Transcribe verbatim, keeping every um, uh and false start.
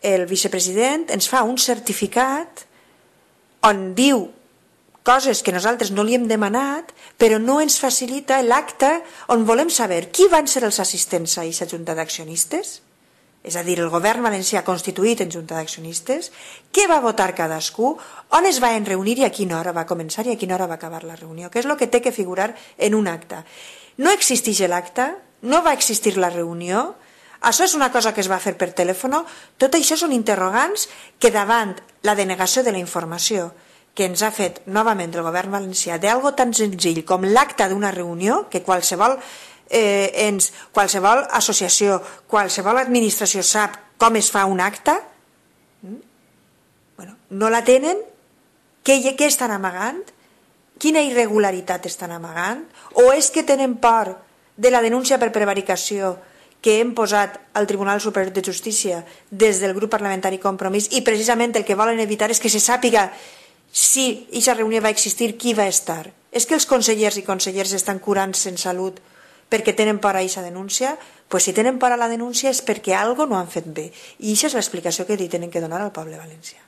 el vicepresident ens fa un certificat on diu coses que nosaltres no li hem demanat, però no ens facilita l'acte on volem saber qui van ser els assistents a aquesta junta d'accionistes, és a dir, el govern valencià constituït en junta d'accionistes, què va votar cadascú, on es van reunir i a quina hora va començar i a quina hora va acabar la reunió, que és el que té que figurar en un acte. No existeix l'acte, no va existir la reunió, això és una cosa que es va fer per telèfon, tot això són interrogants que davant la denegació de la informació que ens ha fet novament el govern valencià d'algo tan senzill com l'acte d'una reunió, que qualsevol eh, ens, qualsevol associació, qualsevol administració sap com es fa un acte, bueno, no la tenen, què, què estan amagant? Quina irregularitat estan amagant? O és que tenen por de la denúncia per prevaricació que hem posat al Tribunal Superior de Justícia des del grup parlamentari Compromís i precisament el que volen evitar és que se sàpiga si aquesta reunió va existir, qui va estar? És que els consellers i conselleres estan curant-se en salut perquè tenen por a aquesta denúncia? Doncs si tenen por a la denúncia és perquè alguna cosa no han fet bé. I aquesta és l'explicació que li tenen que donar al poble valencià.